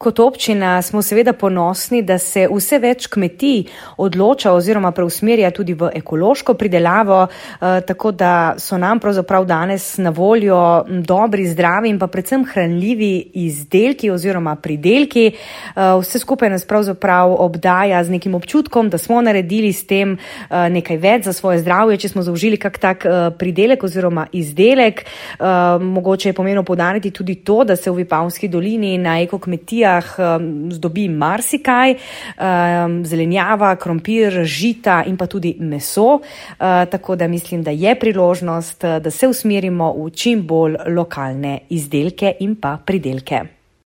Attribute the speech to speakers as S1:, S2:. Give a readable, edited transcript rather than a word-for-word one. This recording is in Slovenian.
S1: kot občina smo seveda ponosni, da se vse več kmetij odloča oziroma preusmerja tudi v ekološko pridelavo, tako da so nam pravzaprav danes na voljo dobri, zdravi in pa predvsem hranljivi izdelki oziroma pridelki. Vse skupaj nas pravzaprav obdaja z nekim občutkom, da smo naredili s tem nekaj več za svoje zdravje, če smo zaužili kak tak pridelek oziroma izdelek. Mogoče je pomembno poudariti tudi to, da se v Vipavski dolini na ekokmetijah zdobi marsikaj, zelenjava, krompir, žita in pa tudi meso. Tako da mislim, da je priložnost, da se usmerimo v čim bolj lokalne izdelke in pa pridelke.